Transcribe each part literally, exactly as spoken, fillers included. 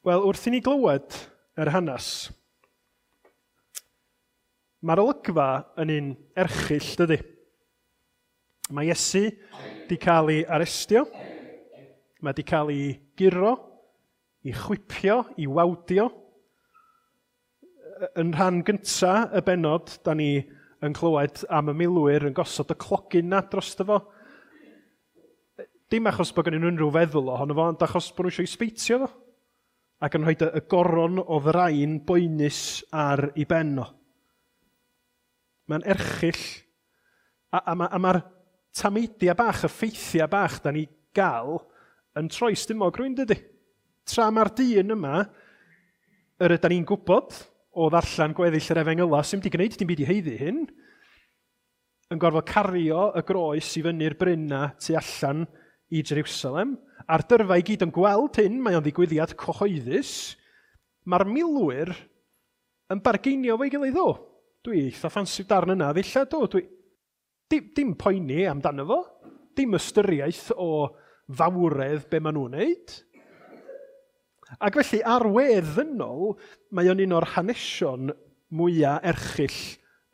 Wel, wrth i ni glywed yr hanes, mae'r olygfa yn un erchyll, dydy. Mae Iesu di cael ei arestio, mae di cael ei guro, ei chwipio, ei wawdio. Yn rhan gynta y bennod, da ni yn clywed am y milwyr yn gosod y clogyn na drosto fo. Dim achos bod gen nhw unrhyw feddwl ohono fo, ond achos bod nhw eisiau sbeitio fo. Ac yn rhoi y goron o ddrain boenus ar ei ben o. Mae'n erchyll. A, a, a mae'r tameidiau bach, y ffeithiau bach da ni gael yn troi stumog rhywun, dydy. Tra mae'r dyn yma, yr ydan ni'n gwybod o ddarllen gweddill yr efengyla, sy'n wedi gwneud dim byd i haeddu hyn, yn gorfod cario y groes i fyny'r bryn na tu allan i Jerusalem, a'r dyrfa i gyd yn gweld hyn, mae o'n ddigwyddiad cyhoeddus, mae'r milwyr yn bargeinio fo'i gilydd o. Dwi eitha ffansi darn yna ddillad o. Dwi... Dim, dim poeni amdano fo, dim ystyriaeth o fawredd be maen nhw'n wneud. Ac felly ar wedd ddynol, mae o'n un o'r hanesion mwyaf erchyll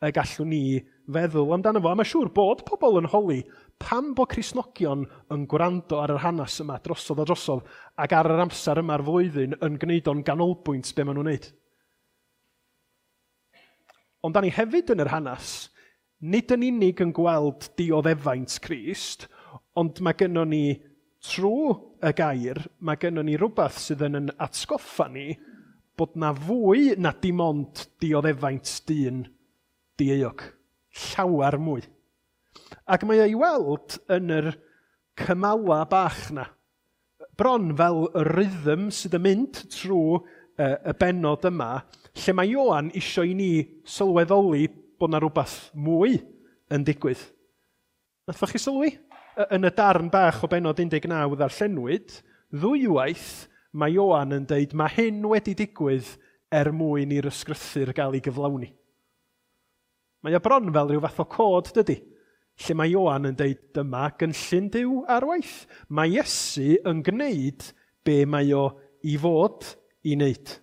y gallwn ni feddwl amdano fo. A mae'n siŵr bod pobl yn holi pam bod Cristnogion yn gwrando ar yr hanes yma drosodd a drosodd ac ar yr amser yma'r flwyddyn yn gwneud o'n ganolbwynt be maen nhw'n wneud. Ond da ni hefyd yn yr hanes, nid yn unig yn gweld dioddefaint Crist, ond mae gynnon ni trwy y gair, mae gynnon ni rhywbeth sydd yn yn atgoffa ni bod na fwy na dim ond dioddefaint dyn dieuog. Llawer mwy. Ac mae o'i weld yn yr cymala bach na. Bron fel y rhythm sydd yn mynd trwy y, y bennod yma, lle mae Ioan isio i ni sylweddoli bod na rhywbeth mwy yn digwydd. Nathoch chi sylwi? Yn y darn bach o bennod un deg naw ddarllenwyd, ddwywaith mae Ioan yn deud mae hyn wedi digwydd er mwyn i'r ysgrythur gael ei gyflawni. Mae o bron fel rhyw fath o cod, dydy? Lle mae Ioan yn deud dyma gynllun Duw ar waith. Mae Iesu yn gwneud be mae o i fod i wneud.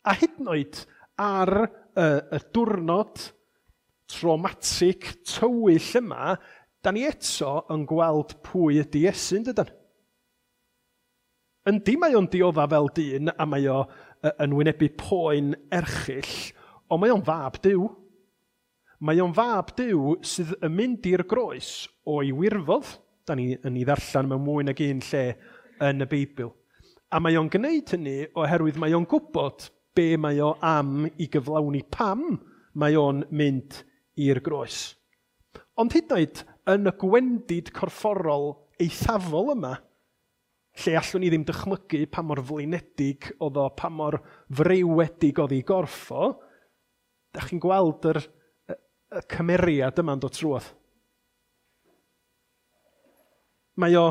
A hyd yn oed ar y, y diwrnod traumatic tywyll yma, da ni eto yn gweld pwy ydy Iesu, yn dydan? Yndi mae o'n diodda fel dyn a mae o yn wynebu poen erchyll, ond mae o'n fab Duw. Mae o'n fab Duw sydd yn mynd i'r groes o'i wirfodd. Da ni yn ei ddarllen mewn mwy nag un lle yn y Beibl. A mae o'n gwneud hynny oherwydd mae o'n gwybod be mae o am i gyflawni, pam mae o'n mynd i'r groes. Ond hyd yn oed yn y gwendid corfforol eithafol yma, lle allwn ni ddim dychmygu pa mor flinedig oedd o, pa mor freuwedig oedd ei gorff o, da chi'n gweld yr, y, y cymeriad yma'n dod trwodd. Mae o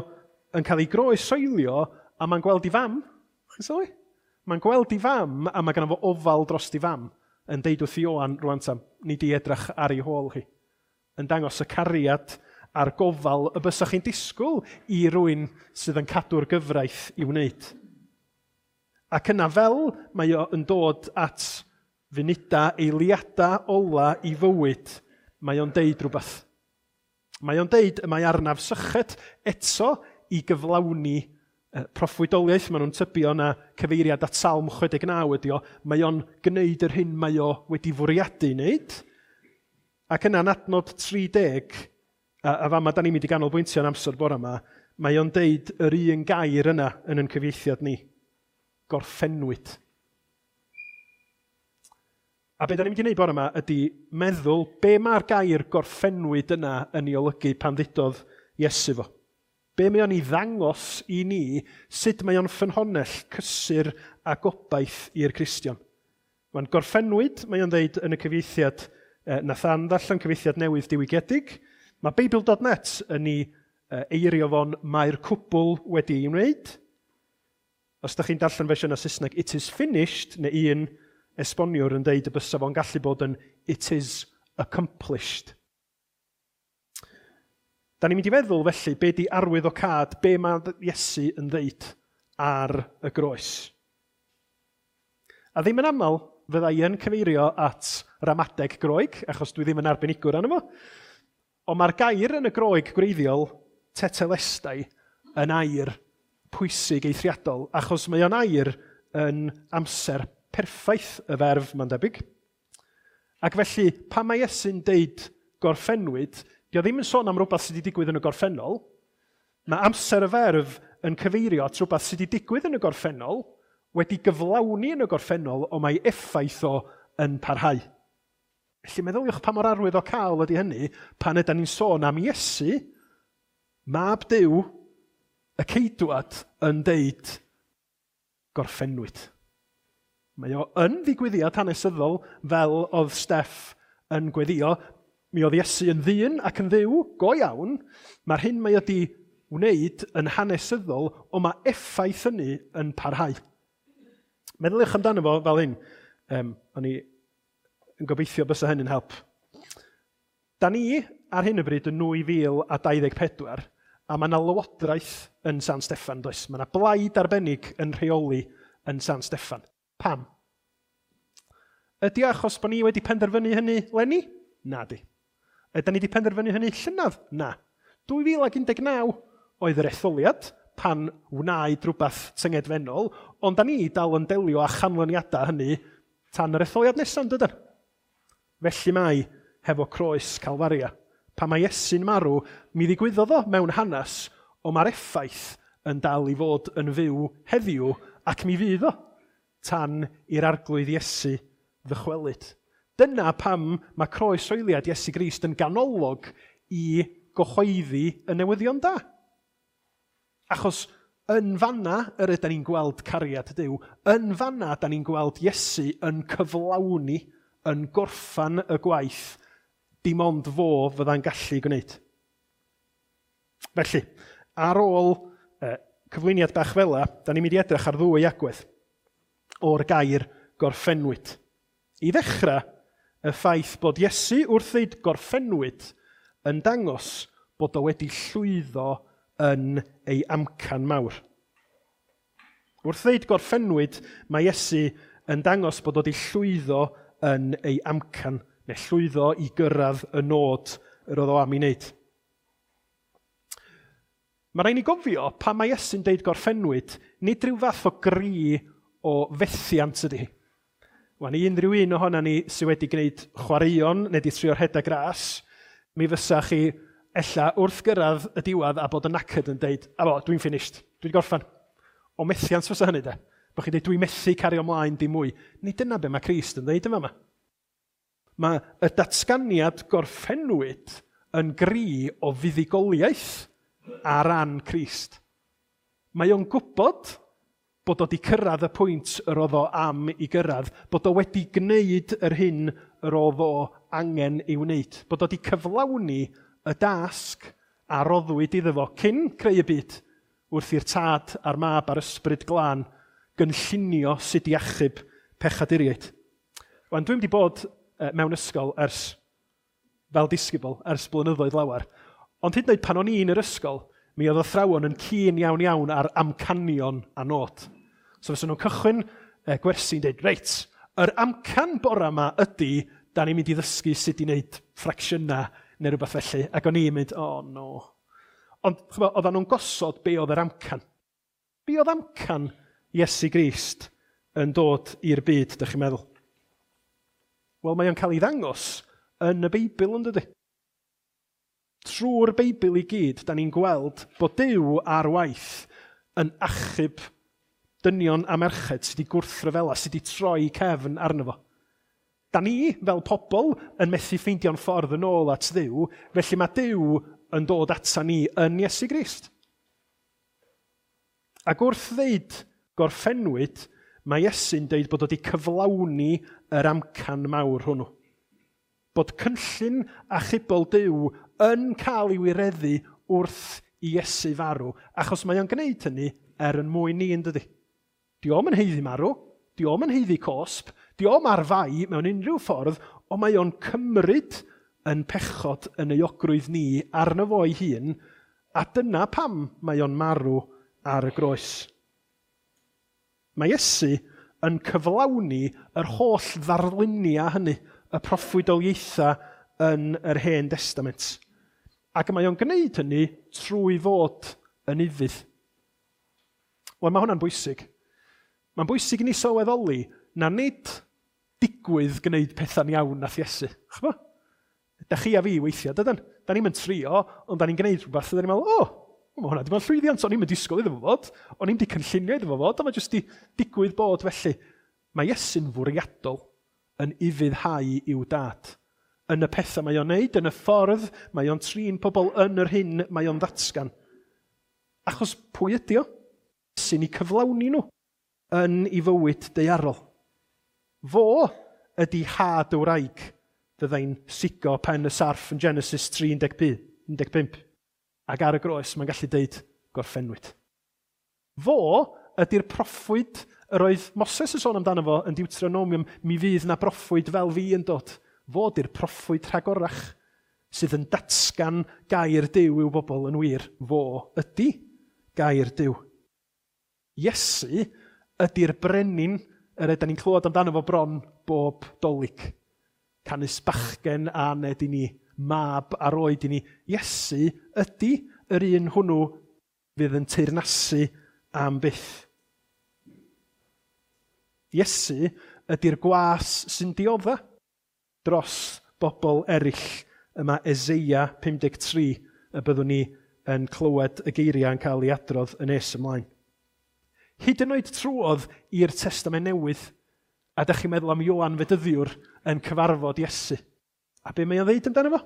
yn cael ei groesoelio a mae'n gweld ei fam. Chi'n sylwi? Mae'n gweld ei fam a mae gynno fo ofal dros ei fam yn deud wrth Ioan rwan tam, ni di edrych ar ei hôl hi. Yn dangos y cariad a'r gofal y bysach chi'n disgwyl i rywun sydd yn cadw'r gyfraith i wneud. Ac yna fel mae o yn dod at funudau, eiliadau ola i fywyd, mae o'n deud rhywbeth. Mae o'n deud y mae arnaf syched eto i gyflawni proffwydoliaeth. Maen nhw'n tybio na cyfeiriad at Salm chwe deg naw ydi o. Mae o'n gwneud yr hyn mae o wedi fwriadu wneud. Ac yna'n adnod tri deg, a, a fama da ni'n mynd i ganolbwyntio yn amser bore yma, mae o'n deud yr un gair yna yn ein cyfieithiad ni. Gorffennwyd. A be da ni'n mynd i wneud bore yma ydy meddwl be mae'r gair gorffennwyd yna yn ei olygu pan ddudodd Iesu fo. Be mae o'n ei ddangos i ni, sut mae o'n ffynhonnell cysur a gobaith i'r Cristion. Mae'n gorffennwyd, mae o'n ddeud yn y cyfieithiad eh, Nathan ddarllen cyfieithiad newydd diwygiedig. Mae Beibl dot net yn ei eirio fo'n mae'r cwbl wedi ei wneud. Os da chi'n darllen fersiwn o Saesneg, it is finished, neu un esboniwr yn deud y bysa fo'n gallu bod yn it is accomplished. Da ni'n mynd i feddwl felly, be di arwydd o cad, be mae Iesu yn ddeud ar y groes. A ddim yn aml fydda i yn cyfeirio at ramadeg Groeg, achos dwi ddim yn arbenigwr arno fo. Ond mae'r gair yn y Groeg gwreiddiol, tetelestai, yn air pwysig eithriadol, achos mae o'n air yn amser perffaith y ferf, mae'n debyg. Ac felly, pan mae Iesu'n deud gorffennwyd, dio ddim yn sôn am rhywbeth sydd wedi digwydd yn y gorffennol. Mae amser y ferf yn cyfeirio at rhywbeth sydd wedi digwydd yn y gorffennol, wedi gyflawni yn y gorffennol, ond mae effaith o yn parhau. Felly meddyliwch pa mor arwydd o cael ydy hynny pan ydy ni'n sôn am Iesu, mab Duw, y ceidwad, yn deud gorffennwyd. Mae o yn ddigwyddiad hanesyddol fel oedd Steff yn gweddio. Mi oedd Iesu yn ddyn ac yn ddiw, go iawn. Mae'r hyn mae wedi wneud yn hanesyddol, ond mae effaith hynny yn parhau. Meddyliwch amdano fo fel hyn. Um, o'n i yn gobeithio bysa hynny'n help. Da ni ar hyn o bryd yn nwy fil a dau ddeg pedwar, a mae yna lywodraeth yn San Steffan, does? Mae yna blaid arbennig yn rheoli yn San Steffan. Pam? Ydy achos bod ni wedi penderfynu hynny leni? Na di. Ydy ni wedi penderfynu hynny llynedd? Na. dwy fil ac un deg naw oedd yr etholiad pan wnaed rhywbeth tyngedfennol, ond da ni dal yn delio â chanlyniadau hynny tan yr etholiad nesaf, dydan? Felly mae hefo croes Calfaria. Pan mae Iesu'n marw, mi ddigwyddodd o mewn hanes, ond mae'r effaith yn dal i fod yn fyw heddiw, ac mi fydd o tan i'r arglwydd Iesu ddychwelyd. Dyna pam mae croeshoeliad Iesu Grist yn ganolog i gyhoeddi y newyddion da. Achos yn fanna yr ydyn ni'n gweld cariad Duw, yn fanna da ni'n gweld Iesu yn cyflawni, yn gorffan y gwaith, dim ond fo fydda'n gallu gwneud. Felly, ar ôl eh, cyflwyniad bach fela, da ni'n mynd i edrych ar ddwy agwedd o'r gair gorffennwyd. I ddechrau, y ffaith bod Iesu wrth ddeud gorffennwyd yn dangos bod o wedi llwyddo yn ei amcan mawr. Wrth ddeud gorffennwyd, mae Iesu yn dangos bod o wedi llwyddo yn ei amcan, neu llwyddo i gyrraedd y nod yr oedd o am ei wneud. Mae rhaid ni gofio, pan mae Iesu'n deud gorffennwyd, nid rhyw fath o gri o fethiant ydy. Wan, i unrhyw un ohonan ni sydd wedi gwneud chwaraeon neu di trio rhedeg ras, mi fysa chi ella wrth gyrraedd y diwedd a bod yn knackered yn deud, a bo, dwi'n finished, dwi'n gorffan. O methiant fysa hynny de. Bo chi'n deud, dwi'n methu cario ymlaen dim mwy. Nid dyna be mae Crist yn deud yma. Mae y datganiad gorffennwyd yn gri o fuddugoliaeth ar ran Crist. Mae o'n gwybod bod o wedi cyrraedd y pwynt yr oedd o am i gyrraedd, bod o wedi gwneud yr hyn yr oedd o angen ei wneud, bod o wedi cyflawni y dasg a roddwyd iddo fo cyn creu y byd, wrth i'r tad a'r mab a'r ysbryd glân gynllunio sut i achub pechaduriaid. Wan, dwi'n wedi bod mewn ysgol ers, fel disgybl, ers blynyddoedd lawer, ond hyd yn oed pan o'n i yn yr ysgol, mi oedd athrawon yn keen iawn iawn ar amcanion a nod. So fysa nhw'n cychwyn gwersi'n dweud, reit, yr amcan bora yma ydy, da ni'n mynd i ddysgu sut i wneud ffracsiynau neu rhywbeth felly. Ac o'n i'n mynd, oh no. Ond oedden nhw'n gosod be oedd yr amcan. Be oedd amcan Iesu Grist yn dod i'r byd, dych chi'n meddwl? Wel, mae o'n cael ei ddangos yn y Beibl, yn dydy? Trwy'r Beibl i gyd, da ni'n gweld bod Duw ar waith yn achub dynion a merched sydd wedi gwrthryfela, sydd wedi troi cefn arno fo. Da ni, fel pobl, yn methu ffeindio'n ffordd yn ôl at Dduw, felly mae Duw yn dod ata ni yn Iesu Grist. Ac wrth ddeud gorffennwyd, mae Iesu'n deud bod o wedi cyflawni yr amcan mawr hwnnw. Bod cynllun achubol Duw yn cael ei wireddu wrth i Iesu farw, achos mae o'n gwneud hynny er yn mwyn ni, yn dydy. Di o'm yn haeddu marw, di o'm yn haeddu cosb, di o'm ar fai mewn unrhyw ffordd, ond mae o'n cymryd yn pechod yn euogrwydd ni arno fo ei hun, a dyna pam mae o'n marw ar y groes. Mae Iesu yn cyflawni yr holl ddarluniau hynny, y proffwydoliaethau yn yr Hen Destament. Ac mae o'n gwneud hynny trwy fod yn ufudd. Wel, mae hwnna'n bwysig. Mae'n bwysig i ni sylweddoli na nid digwydd gwneud pethau'n iawn nath Iesu. Ch'bo? Da chi a fi weithiau, dydan? Da ni'n mynd trio, ond da ni'n gwneud rhywbeth, a da ni'n meddwl, o, oh, mae hwnna di bod yn llwyddiant, o'n i'n mynd disgwyl iddo fo fod, o'n i'n di cynllunio iddo fo fod, ond mae jyst di digwydd bod felly. Mae Iesu'n fwriadol yn ufuddhau i'w dad. Yn y pethau mae o'n neud, yn y ffordd mae o'n trin pobl yn yr hyn mae o'n ddatgan. Achos pwy ydi o? Sy'n ei cyflawni nhw yn ei fywyd daearol. Fo ydi had y wraig fyddai'n sigo pen y sarff yn Genesis tri un deg pump. Ac ar y groes mae'n gallu deud gorffennwyd. Fo ydy'r proffwyd yr oedd Moses yn sôn amdano fo yn Deuteronomium, mi fydd na broffwyd fel fi yn dod. Fo ydy'r proffwyd rhagorach sydd yn datgan gair Duw i'w bobl yn wir. Fo ydy gair Duw. Iesu ydy'r brenin yr ydyn ni'n clywed amdano fo bron bob Dolig. Canys bachgen a aned i ni, mab ar oed i ni. Iesu ydy yr un hwnnw fydd yn teyrnasu am byth. Iesu ydy'r gwas sy'n diodda dros bobl eraill. Yma Eseia pum deg tri y byddwn ni yn clywed y geiriau yn cael ei adrodd yn nes ymlaen. Hyd yn oed trwodd i'r Testament Newydd, a dach chi'n meddwl am Ioan Fedyddiwr yn cyfarfod Iesu. A be mae o'n ddeud amdano fo?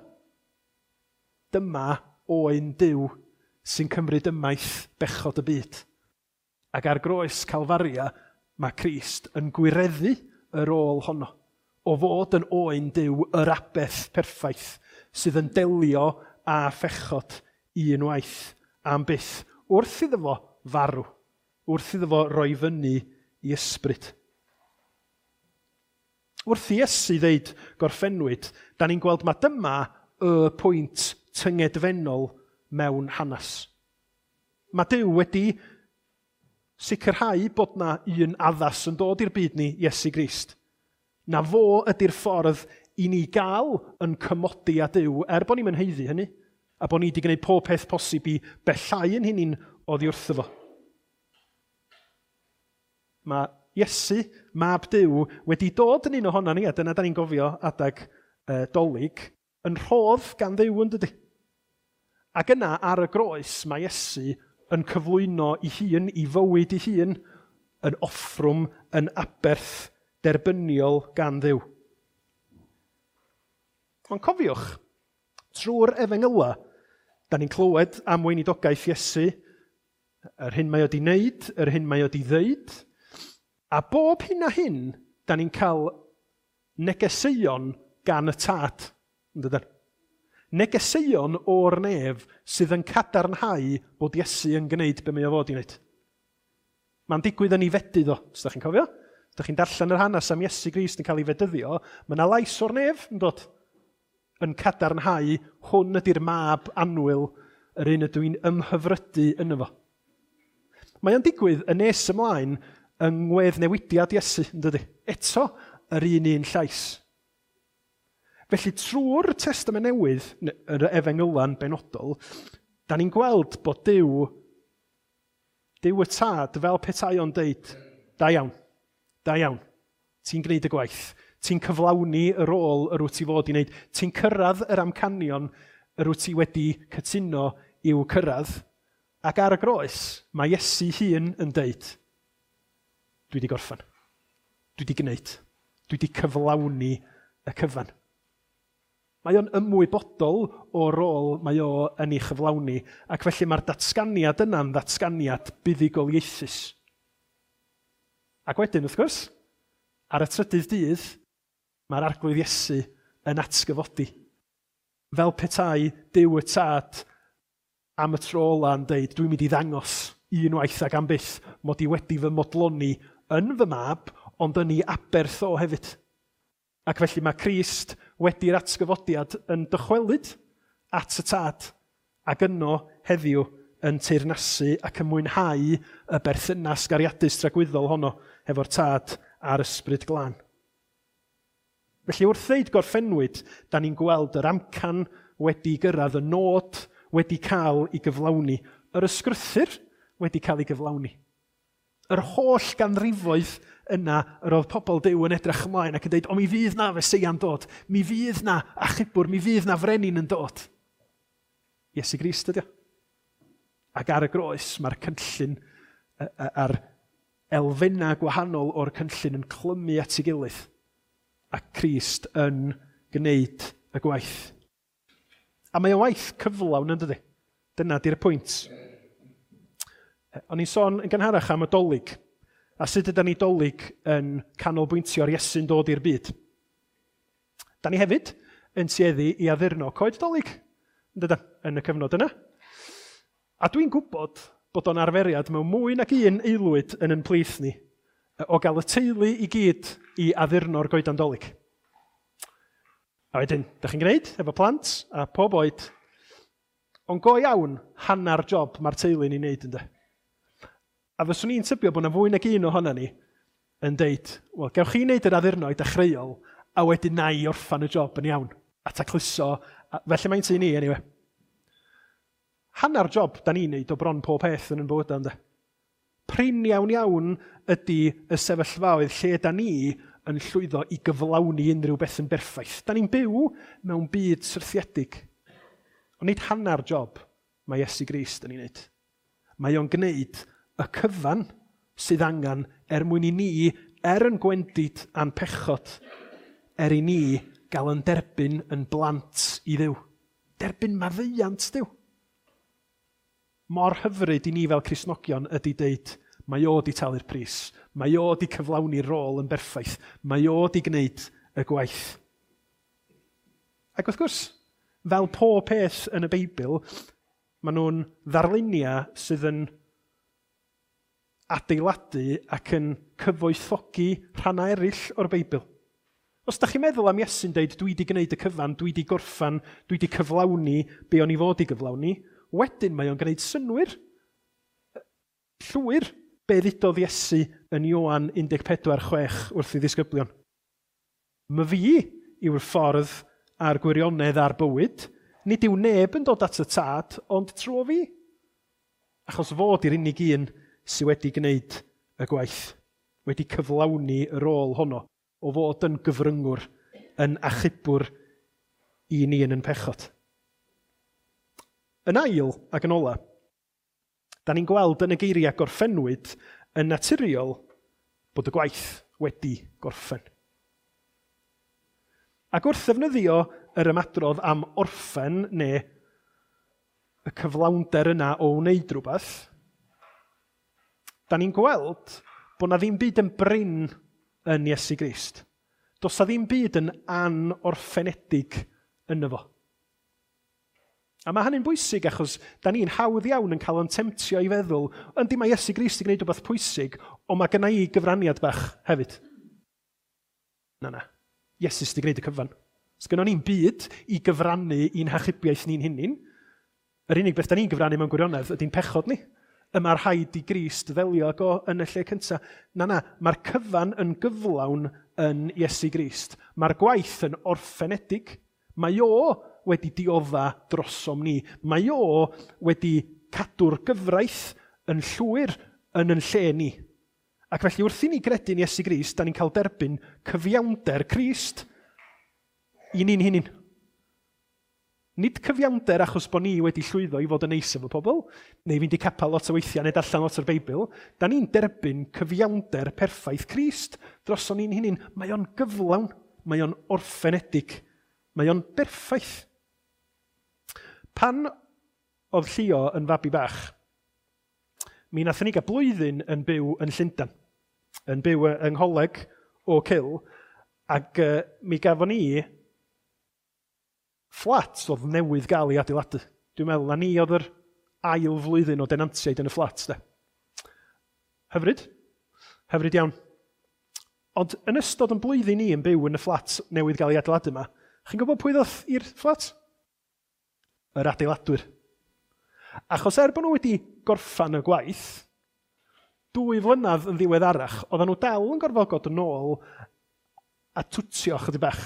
Dyma oen Duw sy'n cymryd ymaith bechod y byd. Ac ar groes Calfaria, mae Crist yn gwireddu yr ôl honno. O fod yn oen Duw yr aberth perffaith sydd yn delio â phechod unwaith am byth, wrth iddo fo farw, wrth iddo fo roi fyny i ysbryd. Wrth i Iesu ddeud gorffennwyd, da ni'n gweld mae dyma y pwynt tyngedfennol mewn hanes. Mae Duw wedi sicrhau bod na un addas yn dod i'r byd ni, Iesu Grist. Na fo ydy'r ffordd i ni gael yn cymodi â Duw, er bod ni'n mynd haeddu hynny, a bod ni wedi gwneud pob peth posib i bellhau yn hunain oddi wrtho fo. Mae Iesu, mab Duw, wedi dod yn un ohono ni, a dyna da ni'n gofio adag uh, Dolig, yn rhodd gan Dduw yn dydy. Ac yna ar y groes mae Iesu yn cyflwyno ei hun, ei fywyd ei hun, yn offrwm, yn aberth derbyniol gan Dduw. Ond cofiwch, trwy'r efengyla, da ni'n clywed am weinidogaeth Iesu, yr hyn mae o di wneud, yr hyn mae o di ddeud, a bob hyn a hyn, da ni'n cael negeseuon gan y Tad. Yn Negeseuon o'r nef sydd yn cadarnhau bod Iesu yn gwneud be mae o fod i wneud. Mae'n digwydd yn ei fedydd o, os ydych chi'n cofio. Os ydych chi'n darllen yr hanes am Iesu Grist yn cael ei fedyddio, mae yna lais o'r nef yn dod yn cadarnhau hwn ydy'r mab annwyl, yr un ydw i'n ymhyfrydu yno fo. Mae o'n digwydd yn nes ymlaen yng ngweddnewidiad Iesu, yn dydy? Eto, yr un un llais. Felly trwy'r Testament Newydd, yr Efengyla'n benodol, da ni'n gweld bod Duw, Duw y Tad, fel petai o'n deud, da iawn, da iawn, ti'n gwneud y gwaith, ti'n cyflawni y rôl yr wyt ti fod i wneud, ti'n cyrraedd yr amcanion yr wyt ti wedi cytuno i'w cyrraedd, ac ar y groes, mae Iesu hun yn deud, dwi wedi gorffen, dwi wedi gwneud, dwi wedi cyflawni y cyfan. Mae o'n ymwybodol o'r rôl mae o yn ei chyflawni, ac felly mae'r datganiad yna'n ddatganiad buddugoliaethus. Ac wedyn, wrth gwrs, ar y trydydd dydd, mae'r Arglwydd Iesu yn atgyfodi. Fel petai Duw y Tad am y tro ola yn deud, dwi'n mynd i ddangos unwaith ac am byth mod i wedi fy modloni yn fy mab, ond yn ei aberth o hefyd. Ac felly mae Crist wedi'r atgyfodiad yn dychwelyd at y Tad, ac yno heddiw yn teyrnasu ac yn mwynhau y berthynas gariadus tragwyddol honno hefo'r Tad a'r Ysbryd Glân. Felly wrth ddeud gorffennwyd, da ni'n gweld yr amcan wedi gyrraedd, y nod wedi cael ei gyflawni, yr ysgrythur wedi cael ei gyflawni. Yr holl ganrifoedd yna yr oedd pobl Duw yn edrych ymlaen ac yn dweud, o mi fydd na Feseia'n dod, mi fydd na achubwr, mi fydd na frenin yn dod. Iesu Grist ydi o. Ac ar y groes mae'r cynllun a'r elfennau gwahanol o'r cynllun yn clymu at ei gilydd. A Crist yn gwneud y gwaith. A mae o waith cyflawn yn dydi? Dyna di'r pwynt. O'n i'n sôn yn gynharach am y Dolig, a sut ydan ni Dolig yn canolbwyntio ar Iesu'n dod i'r byd. Da ni hefyd yn tueddu i addurno coed Dolig, yn dydan, yn y cyfnod yna. A dwi'n gwybod bod o'n arferiad mewn mwy nag un aelwyd yn yn plith ni, o gael y teulu i gyd i addurno'r goedan Dolig. A wedyn, da chi'n gwneud efo plant a pob oed, ond go iawn, hanner job mae'r teulu'n ei wneud ynddo. A fyswn i'n tybio bod yna fwy nag un ohono ni yn deud, wel, gewch chi wneud yr addurno i dechreuol, a wedyn na i orffan y job yn iawn, a tacluso, a felly mae'n tŷ ni, anyway. Hanner job da ni'n neud o bron pob peth yn yn bywydau, ynddo. Prin iawn iawn ydy y sefyllfaoedd lle da ni yn llwyddo i gyflawni unrhyw beth yn berffaith. Da ni'n byw mewn byd syrthiedig. Ond nid hanner job mae Iesu Grist yn ei wneud. Mae o'n gwneud y cyfan sydd angen er mwyn i ni, er yn gwendid a'n pechod, er i ni gael yn derbyn yn blant i Dduw. Derbyn maddeuant Duw. Mor hyfryd i ni fel Cristnogion ydy deud, mae o di talu'r pris, mae o di cyflawni'r rôl yn berffaith, mae o di gwneud y gwaith. Ac wrth gwrs, fel pob peth yn y Beibl, maen nhw'n ddarluniau sydd yn adeiladu ac yn cyfoethogi rhannau eraill o'r Beibl. Os da chi'n meddwl am Iesu'n deud, dwi di gwneud y cyfan, dwi di gorffan, dwi di cyflawni be o'n i fod i gyflawni, wedyn mae o'n gwneud synnwyr llwyr be ddudodd Iesu yn Ioan un deg pedwar chwech wrth ei ddisgyblion. My fi yw'r ffordd a'r gwirionedd a'r bywyd, nid yw neb yn dod at y Tad, ond trwy fi. Achos fod i'r unig un sydd wedi gwneud y gwaith, wedi cyflawni y rôl honno, o fod yn gyfryngwr, yn achubwr i ni yn yn pechod. Yn ail ac yn ola, da ni'n gweld yn y geiriau gorffennwyd yn naturiol bod y gwaith wedi gorffen. Ac wrth ddefnyddio yr ymadrodd am orffen neu y cyflawnder yna o wneud rhywbeth, da ni'n gweld bod na ddim byd yn brin yn Iesu Grist. Does na ddim byd yn anorffenedig yno fo. A mae hynny'n bwysig achos da ni'n hawdd iawn yn cael yn temtio i feddwl, yndi mae Iesu Grist i gwneud rhywbeth pwysig, ond mae gynna i gyfraniad bach hefyd. Na, na. Iesu sydd wedi gwneud y cyfan. Sgynnon ni'n byd i gyfrannu i'n hachubiaeth ni'n hunain. Yr unig beth da ni'n gyfrannu mewn gwirionedd ydy'n pechod ni. Y mae'r rhaid i Grist ddelio ag o yn y lle cyntaf. Na, na, mae'r cyfan yn gyflawn yn Iesu Grist. Mae'r gwaith yn orffenedig. Mae o wedi diodda drosom ni. Mae o wedi cadw'r gyfraith yn llwyr yn yn lle ni. Ac felly wrth i ni gredu'n Iesu Grist, da ni'n cael derbyn cyfiawnder Crist i ni'n hunain. Nid cyfiawnder achos bod ni wedi llwyddo i fod yn neis efo pobl, neu fynd i capel lot o weithiau, neu darllen lot o'r Beibl. Da ni'n derbyn cyfiawnder perffaith Crist droson ni'n hunain. Mae o'n gyflawn, mae o'n orffenedig, mae o'n berffaith. Pan oedd Llio yn fabi bach, mi nathon ni gael blwyddyn yn byw yn Llundain, yn byw yng Ngholeg Oak Hill, ac uh, mi gafon ni fflat oedd newydd gael ei adeiladu. Dwi'n meddwl na ni oedd yr ail flwyddyn o denantiaid yn y fflat. De. Hyfryd. Hyfryd iawn. Ond yn ystod yn blwyddyn ni yn byw yn y fflat newydd gael ei adeiladu yma, chi'n gwybod pwy ddoth i'r fflat? Yr adeiladwyr. Achos er bod nhw wedi gorffan y gwaith, dwy flynedd yn ddiweddarach, oedden nhw dal yn gorfod god yn ôl a twtio chydig bach.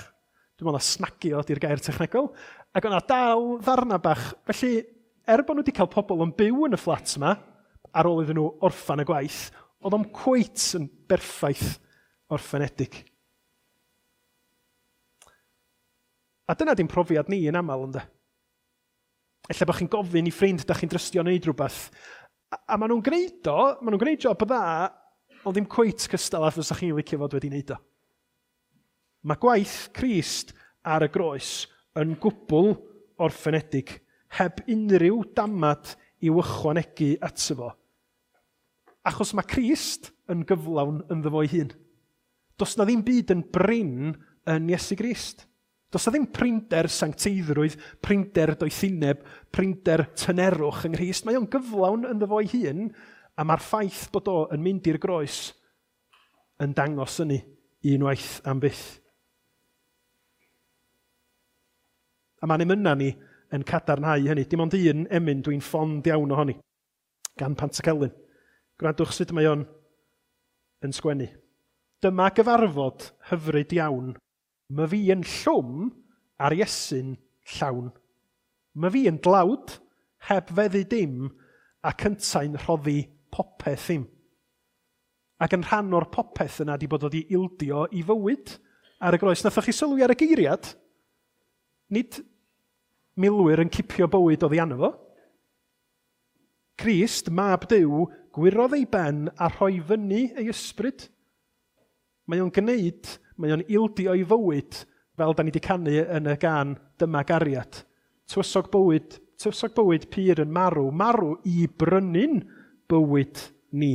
Dwi'n meddwl na snagio ydy'r gair technegol. Ac o'na dal ddarna bach. Felly, er bod nhw wedi cael pobl yn byw yn y fflat yma, ar ôl iddyn nhw orffan y gwaith, oedd o'm cweit yn berffaith orffenedig. A dyna di'n profiad ni yn aml, ynde? Ella bod chi'n gofyn i ffrind da chi'n drystio wneud rhywbeth, a, a maen nhw'n gwneud o, maen nhw'n gwneud job dda, ond ddim cweit cystal a fysa chi'n licio fod wedi wneud o. Mae gwaith Crist ar y groes yn gwbl orffenedig, heb unrhyw damad i'w ychwanegu ato fo. Achos mae Crist yn gyflawn ynddo fo'i hun. Does na ddim byd yn brin yn Iesu Grist. Does na ddim prinder sancteiddrwydd, prinder doethineb, prinder tynerwch yng Nghrist. Mae o'n gyflawn ynddo fo'i hun, a mae'r ffaith bod o yn mynd i'r groes yn dangos hynny unwaith am byth. A mae'n emynau ni yn cadarnhau hynny. Dim ond un emyn dwi'n ffond iawn ohoni, gan Pantycelyn. Gwrandwch sut mae o'n yn sgwennu. Dyma gyfarfod hyfryd iawn. Mae fi yn llwm a'r Iesu'n llawn. Mae fi yn dlawd, heb feddu dim, ac yntau'n rhoddi popeth im. Ac yn rhan o'r popeth yna di bod wedi ildio i fywyd ar y groes. Nathoch chi sylwi ar y geiriad? Nid milwyr yn cipio bywyd oddi arno fo. Crist, mab Duw, gwirodd ei ben a rhoi fyny ei ysbryd. Mae o'n gwneud, mae o'n ildio ei fywyd, fel da ni wedi canu yn y gan Dyma Gariad. Tywysog bywyd, tywysog bywyd pur yn marw, marw i brynu'n bywyd ni.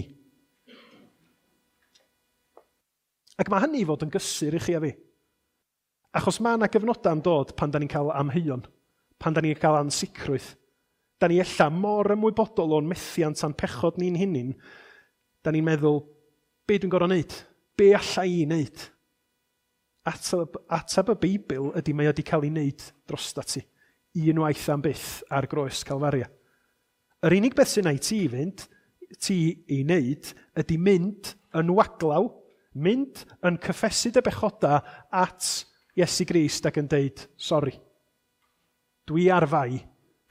Ac mae hynny i fod yn gysur i chi a fi. Achos mae yna gyfnodau'n dod pan da ni'n cael amheuon, pan da ni'n cael ansicrwydd. Da ni ella mor ymwybodol o'n methiant a'n pechod ni'n hunin, da ni'n meddwl, be dwi'n gorfod wneud? Be alla i wneud? Ateb, ateb y Beibl ydy mae o wedi cael ei wneud drosta ti, unwaith am byth ar groes Calfaria. Yr unig beth sy'n ei ti fynd, ti ei wneud, ydy mynd yn waglaw, mynd yn cyffesu dy bechoda at Iesu Grist ac yn deud, sori, dwi ar fai,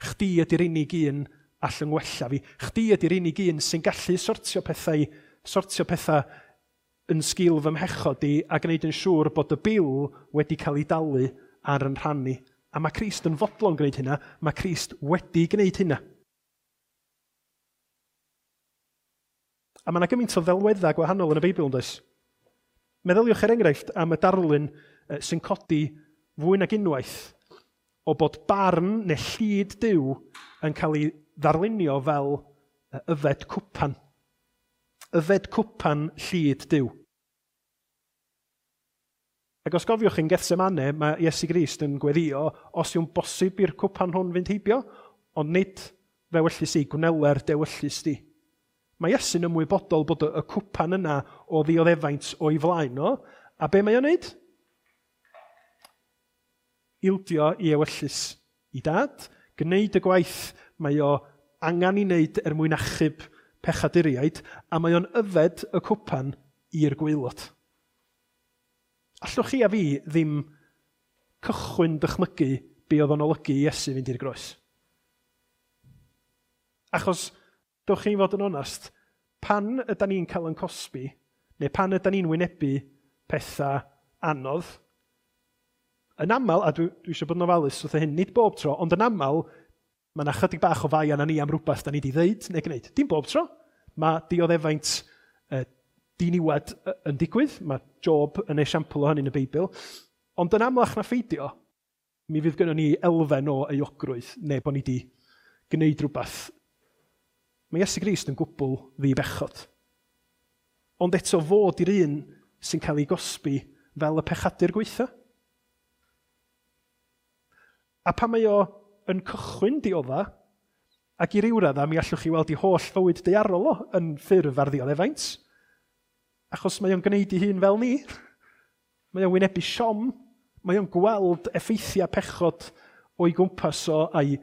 chdi ydy'r unig un all yng ngwella fi, chdi ydy'r unig un sy'n gallu sortio pethau, sortio pethau yn sgil fy mhechod i a gwneud yn siŵr bod y bil wedi cael ei dalu ar yn rhan i. A mae Crist yn fodlon gwneud hynna, mae Crist wedi gwneud hynna. A mae yna gymaint o ddelweddau gwahanol yn y Beibl, yn does? Meddyliwch er enghraifft am y darlun sy'n codi fwy nag unwaith o bod barn neu llid Duw yn cael ei ddarlunio fel yfed cwpan. Yfed cwpan llid Duw. Ac os gofiwch yn Gethsemane, mae Iesu Grist yn gweddio os yw'n bosib i'r cwpan hwn fynd heibio, ond nid fewyllys i, gwneler dewyllys di. Mae Iesu'n ymwybodol bod y cwpan yna o ddioddefaint o'i flaen o, a be mae o'n wneud? Ildio i ewyllys i dad, gwneud y gwaith mae o angen i wneud er mwyn achub pechaduriaid, a mae o'n yfed y cwpan i'r gwaelod. Allwch chi a fi ddim cychwyn dychmygu be oedd o'n olygu i Iesu fynd i'r groes. Achos, dewch chi fod yn onast, pan ydan ni'n cael yn cosbi, neu pan ydan ni'n wynebu pethau anodd, yn aml, a dwi, dwi eisiau bod yn ofalus wrth hyn, nid bob tro, ond yn aml, mae yna chydig bach o fai arna ni am rhywbeth da ni wedi ddeud neu gwneud. Dim bob tro. Mae dioddefaint eh, diniwed yn digwydd. Mae Job yn esiampl o hynny yn y Beibl. Ond yn amlach na pheidio, mi fydd gynnon ni elfen o euogrwydd neu bod ni wedi gwneud rhywbeth. Mae Iesu Grist yn gwbl ddibechod. Ond eto fod i'r un sy'n cael ei gosbi fel y pechadur gweitha. A pan mae o yn cychwyn diodda, ac i ryw radda mi allwch chi weld i holl fywyd daearol o yn ffurf ar ddioddefaint, achos mae o'n gwneud ei hun fel ni. Mae o'n wynebu siom, mae o'n gweld effeithiau pechod o'i gwmpas o a'i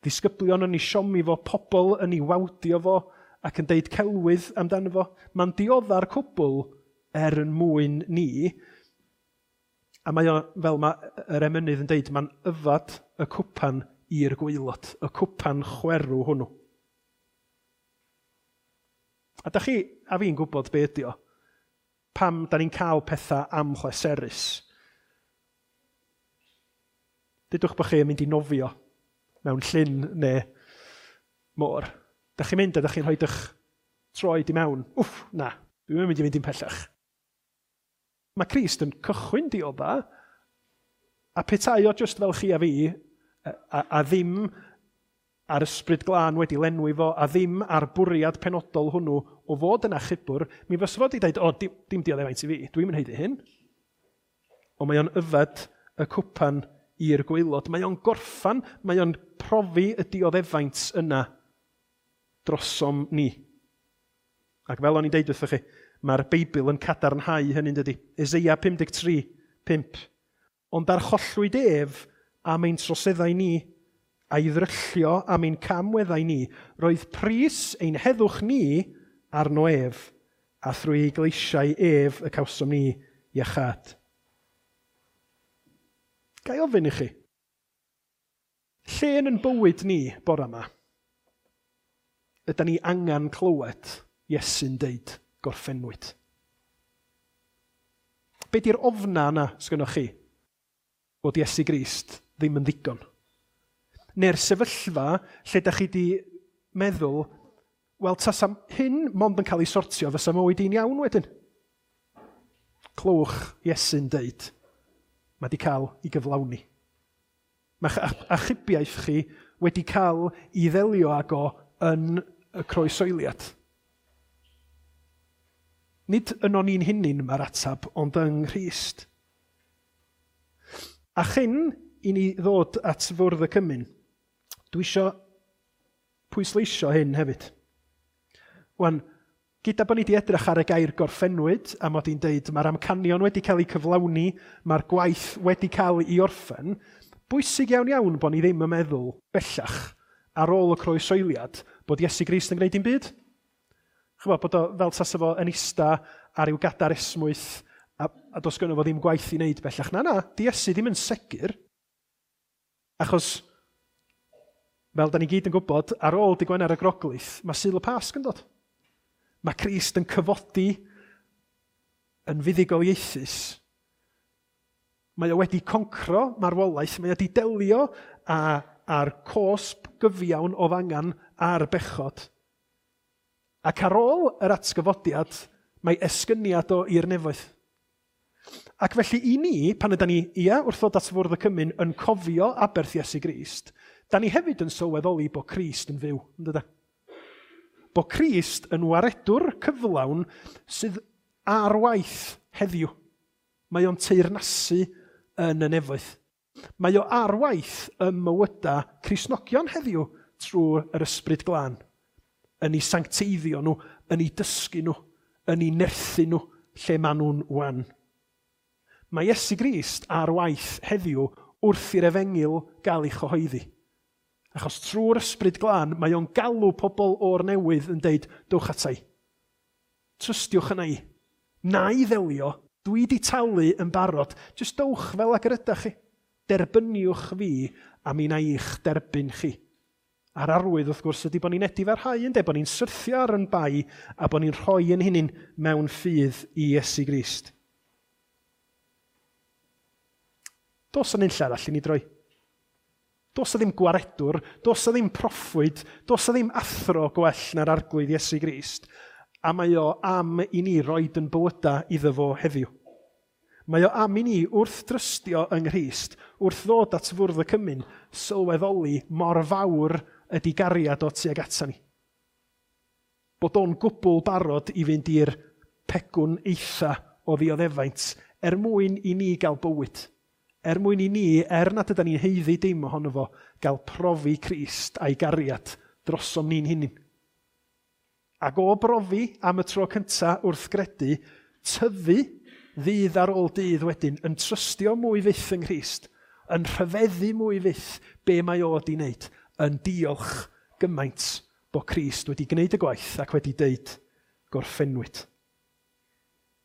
Ddisgyblion yn ei siomi fo, pobl yn ei wawdio fo ac yn deud celwydd amdano fo. Mae'n diodda'r cwbl er yn mwyn ni. A mae o, fel mae yr emynydd yn deud, mae'n yfad y cwpan i'r gwaelod, y cwpan chwerw hwnnw. A da chi, a fi'n gwybod be ydi o, pam da ni'n cael pethau amhleserus. Dudwch bod chi yn mynd i nofio mewn llyn neu môr. Da chi'n mynd a da chi'n rhoi eich troed i mewn. Wff, na, dwi'n mynd i fynd i'n pellach. Mae Crist yn cychwyn diodda, a petai o just fel chi a fi, a, a, a ddim a'r ysbryd glân wedi lenwi fo, a ddim ar bwriad penodol hwnnw o fod yn achubwr, mi fysa fo wedi dweud, o, dim, dim dioddefaint i fi, dwi'n mynd haeddu hyn. Ond mae o'n yfed y cwpan i'r gwaelod. Mae o'n gorffan, mae o'n profi y dioddefaint yna drosom ni. Ac fel o'n i'n deud wrthych chi, mae'r Beibl yn cadarnhau hynny'n dydy. Eseia pum deg tri, pump. Ond archollwyd ef am ein troseddau ni, a'i ddryllio am ein camweddau ni, roedd pris ein heddwch ni arno ef, a thrwy ei gleisiau ef y cawsom ni iachâd. Ga i ofyn i chi, lle yn yn bywyd ni bore yma, ydy ni angen clywed Iesu'n deud gorffennwyd? Be di'r ofna yna sgynnoch chi bod Iesu Grist ddim yn ddigon? Neu'r sefyllfa lle da chi di meddwl, wel, tasa hyn mond yn cael ei sortio, fysa mywyd i'n iawn wedyn. Clywch Iesu'n deud, mae di cael ei gyflawni. Mae achubiaeth chi wedi cael ei ddelio ag o yn y croesoeliad. Nid yno ni'n hunain mae'r atab, ond yng Nghrist. A chyn i ni ddod at fwrdd y cymun, dwi isio pwysleisio hyn hefyd. Wan, gyda bod ni wedi edrych ar y gair gorffennwyd, a mod i'n deud mae'r amcanion wedi cael eu cyflawni, mae'r gwaith wedi cael ei orffen, bwysig iawn iawn bod ni ddim yn meddwl bellach ar ôl y croesoeliad bod Iesu Grist yn gwneud dim byd. Chymod, bod o fel tasa fo yn ista ar ryw gadar esmwyth a, a does gynno fo ddim gwaith i wneud bellach. Na, na, di Iesu ddim yn segur. Achos, fel da ni gyd yn gwybod, ar ôl dydd Gwener y Groglith, mae Sul y Pasg yn dod. Mae Crist yn cyfodi yn fuddugoliaethus. Mae o wedi concro marwolaeth, mae o wedi delio â, â'r cosb gyfiawn o ddangan a'r bechod. Ac ar ôl yr atgyfodiad, mae esgyniad o i'r nefoedd. Ac felly i ni, pan yda ni, ia, wrth ddod at fwrdd y cymun, yn cofio aberth Iesu Grist, da ni hefyd yn sylweddoli bod Crist yn fyw, yn dyda? Bod Crist yn waredwr cyflawn sydd ar waith heddiw. Mae o'n teyrnasu yn y nefoedd. Mae o ar waith ym mywydau Cristnogion heddiw trwy yr Ysbryd Glân. Yn ei sancteiddio nhw, yn ei dysgu nhw, yn ei nerthu nhw lle maen nhw'n wan. Mae Iesu Grist ar waith heddiw wrth i'r efengyl gael ei chyhoeddi. Achos trwy'r Ysbryd Glân, mae o'n galw pobl o'r newydd yn deud, dowch ata i. Trystiwch yna i. Na i ddelio, dwi di talu yn barod. Jyst dowch fel ag yr ydach chi. Derbyniwch fi a mi na i'ch derbyn chi. A'r arwydd, wrth gwrs, ydy bod ni'n edifarhau, ynde, bod ni'n syrthio ar yn bai a bod ni'n rhoi yn hunain mewn ffydd i Iesu Grist. Does yna unlle arall i ni droi. Does yna ddim gwaredwr, does yna ddim proffwyd, does yna ddim athro gwell na'r Arglwydd Iesu Grist. A mae o am i ni roed yn bywydau iddo fo heddiw. Mae o am i ni wrth drystio yng Nghrist, wrth ddod at fwrdd y cymun, sylweddoli mor fawr ydy gariad o tuag ata ni. Bod o'n gwbl barod i fynd i'r pegwn eitha o ddioddefaint er mwyn i ni gael bywyd. Er mwyn i ni, er nad yda ni'n haeddu dim ohono fo, gael profi Crist a'i gariad drosom ni'n hunain. Ac o brofi am y tro cyntaf wrth gredu, tyfu ddydd ar ôl dydd wedyn, yn trystio mwy fyth yng Nghrist, yn rhyfeddu mwy fyth be mae o wedi wneud, yn diolch gymaint bod Crist wedi gwneud y gwaith ac wedi deud gorffennwyd.